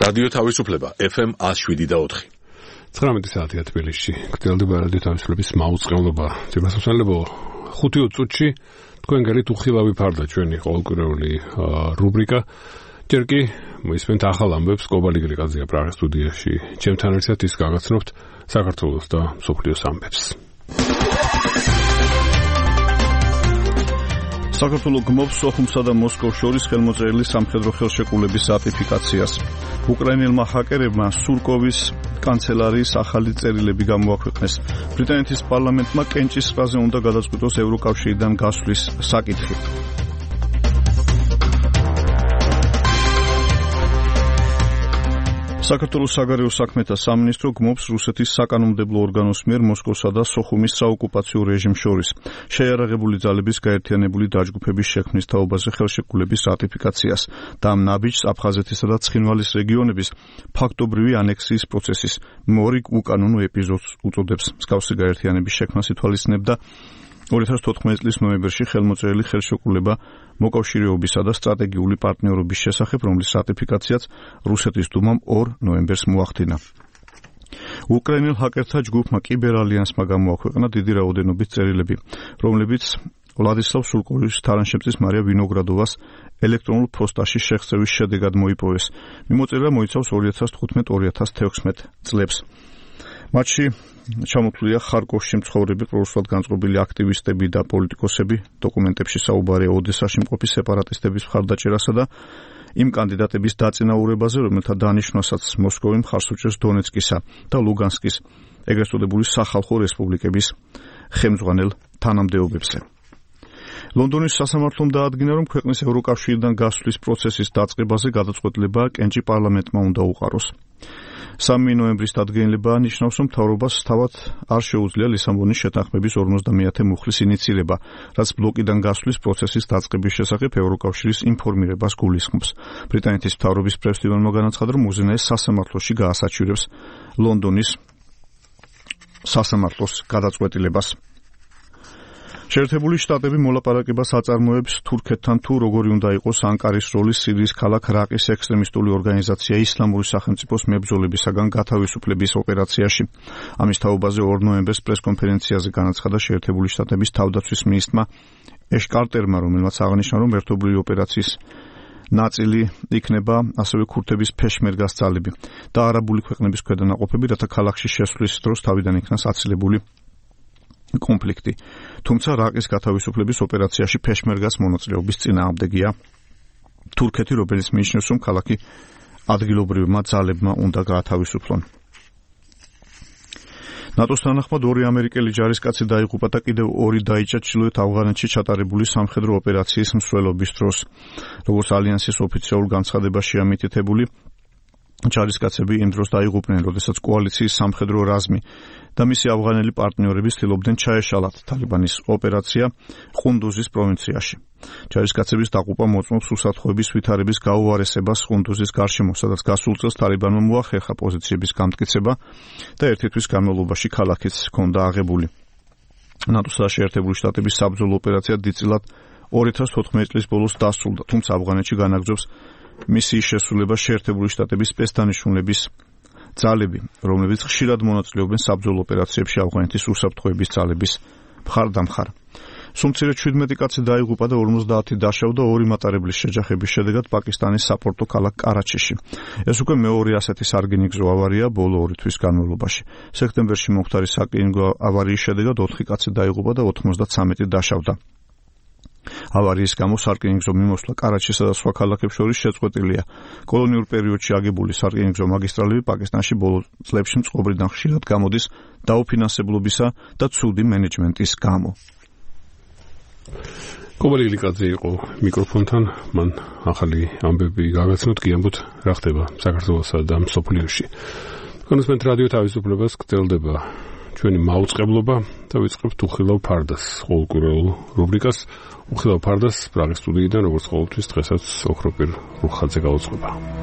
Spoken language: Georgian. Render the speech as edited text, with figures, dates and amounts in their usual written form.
რადიო თავისუფლება FM 107.4. 19 საათია თბილისში. გრძელდება რადიო თავისუფლების მაუწყებლობა. ძირფასმსმელებო, 5 წუთში თქვენ გარეთ უხილავი ფარდა ჩვენი ყოველკვირეული რუბრიკა. ჯერ კი მოისმენთ ახალ ამბებს კობალი გრიგაძეა პრაღის სტუდიაში. ჩემთან ერთად ის გაგაცნობთ საქართველოს და მსოფლიოს ამბებს. საქართველოს გმობს სოხუმსა და მოსკოვს შორის ხელმოწერილი სამხედრო ხელშეკრულების რატიფიკაციას. უკრაინელმა ჰაკერებმა სურკოვის კანცელარიის ახალი წერილები გამოაქვეყნეს. ბრიტანეთის პარლამენტმა კენჭის ზღვაზე უნდა გადაწყვიტოს ევროკავშირიდან გასვლის საკითხი. საქართველოს საგარეო საქმეთა სამინისტრო გმობს რუსეთის საკანონმდებლო ორგანოს მიერ მოსკოვსა და სოხუმის საოკუპაციო რეჟიმს შორის შეიარაღებული ძალების გაერთიანებული დაჯგუფების შექმნის თაობაზე ხელშეკრულების რატიფიკაციას და ამ ნაბიჯს აფხაზეთისა და ცხინვალის რეგიონების ფაქტობრივი ანექსიის პროცესის მორიგ უკანონო ეპიზოდს უწოდებს. მსგავსი გაერთიანების შექმნას ითვალისწინებდა 2014 წლის ნოემბერში ხელმოწერილი ხელშეკრულება მოკავშირეობისა და სტრატეგიული პარტნიორობის შესახებ, რომლის რატიფიკაციაც რუსეთის დუმამ 2 ნოემბერს მოახდინა. უკრაინელ ჰაკერთა ჯგუფმა კიბერალიანსმა გამოაქვეყნა დიდი რაოდენობის წერილები, რომლებიც ვლადისლავ სურკოვის თანაშემწის მარია ვინოგრადოვას ელექტრონულ ფოსტაში შეხწევის შედეგად მოიპოვეს. მიმოწერა მოიცავს 2015-2016 წლებს. მათში ჩამოთვლილია ხარკოვში მცხოვრები პრორუსულად განწყობილი აქტივისტები და პოლიტიკოსები, დოკუმენტებში საუბარია ოდესაში მყოფი სეპარატისტების მხარდაჭერასა და იმ კანდიდატების დაწინაურებაზე, რომელთა დანიშვნასაც მოსკოვი მხარს უჭერს დონეცკისა და ლუგანსკის ეგრეთ წოდებული სახალხო რესპუბლიკების ხელმძღვანელ თანამდებობებზე. ლონდონის სასამართლომ დაადგინა, რომ ქვეყნის ევროკავშირიდან გასვლის პროცესის დაწყებაზე გადაწყვეტილება კენჭი პარლამენტმა უნდა უყაროს. 3 ნოემბრის დადგენილება ნიშნავს, რომ მთავრობას თავად არ შეუძლია ლისაბონის შეთანხმების 50-ე მუხლის ინიცირება, რაც ბლოკიდან გასვლის პროცესის დაწყების შესახებ ევროკავშირის ინფორმირებას გულისხმობს. ბრიტანეთის მთავრობის პრეს-ტივანმა განაცხადა, რომ უზენაეს სასამართლოში გაასაჩივრებს ლონდონის სასამართლოს გადაწყვეტილებას. შეერთებული შტატები მოლაპარაკებას აწარმოებს თურქეთთან თუ როგორი უნდა იყოს ანკარის როლი სირიის ქალაქ რაყის ექსტრემისტული ორგანიზაცია ისლამური სახელმწიფოს მებრძოლებისაგან გათავისუფლების ოპერაციაში. ამის თაობაზე 2 ნოემბერს პრესკონფერენციაზე განაცხადა შეერთებული შტატების თავდაცვის მინისტრმა ეშ კარტერმა, რომელმაც აღნიშნა, რომ ერთობლივი ოპერაციის ნაწილი იქნება ასევე ქურთების ფეშმერგას ძალები და არაბული ქვეყნების ქვედანაყოფები, რათა ქალაქში შესვლის დროს თავიდან იქნას აცილებული კონფლიქტი. თუმცა რაყის გათავისუფლების ოპერაციაში ფეშმერგას მონაწილეობის წინააღმდეგია თურქეთი, რომელიც მიიჩნევს, რომ ქალაქი ადგილობრივმა ძალებმა უნდა გაათავისუფლონ. ნატოს თანახმად 2 ამერიკელი ჯარისკაცი დაიღუპა და კიდევ 2 დაიჭრა ჩრდილოეთ ავღანეთში ჩატარებული სამხედრო ოპერაციის მსვლელობის დროს. როგორც ალიანსის ოფიციალურ განცხადებაში ამიტითებული, ჯარისკაცები იმ დროს დაიღუპნენ, როდესაც კოალიციის სამხედრო რაზმი და მისი ავღანელი პარტნიორები ცდილობდნენ ჩაეშალათ თალიბანის ოპერაცია ყუნდუზის პროვინციაში. ჯარისკაცების დაყუპა მოწმობს უსაფრთხოების ვითარების გაუარესებას ყუნდუზის გარშემო, სადაც გასულ წელს თალიბანმა მოახერხა პოზიციების გამტკიცება და ერთი თვის განმავლობაში ქალაქიც ჰქონდა აღებული. ნატოსა და შეერთებული შტატების საბრძოლო ოპერაცია დიდწილად 2014 წლის ბოლოს დასრულდა, თუმცა ავღანეთში განაგრძობს მისიის შესრულება შეერთებული შტატების სპეცდანიშნულების ძალები, რომლებიც ხშირად მონაწილეობენ საბრძოლო ოპერაციებში ავღანეთის უსაფრთხოების ძალების მხარდამხარ. სულ 17 კაცი დაიღუპა და 50 დაშავდა 2 მატარებლის შეჯახების შედეგად პაკისტანის საპორტო ქალაქ კარაჩიში. ეს უკვე მეორე ასეთი სარკინიგზო ავარია ბოლო 2 თვის განმავლობაში. სექტემბერში მომხდარი სარკინიგზო ავარიის შედეგად 4 კაცი დაიღუპა და 93 დაშავდა. ავარიის გამო სარკინიგზო მიმოსვლა კარაჩისა და სხვა ქალაქებს შორის შეწყვეტილია. კოლონიურ პერიოდში აგებული სარკინიგზო მაგისტრალები პაკისტანში ბოლო წლებში წყობრიდან ხშირად გამოდის დაუფინანსებლობისა და ცუდი მენეჯმენტის გამო. კობალი გრიგაძე იყო მიკროფონთან, მან ახალი ამბები გაგაცნოთ, გიამბოთ რა ხდება საქართველოსა და მსოფლიოში. კონსმენთ რადიო თავისუფლებას გრძელდება ჩვენი მაუწყებლობა და ვიწყებთ უხილავ ფარდას ყოველკვირეულ რუბრიკას. უხილავ ფარდას პრაღის სტუდიიდან როგორც ყოველთვის დღესაც ოქროპირ რუხაძე გაუძღვება.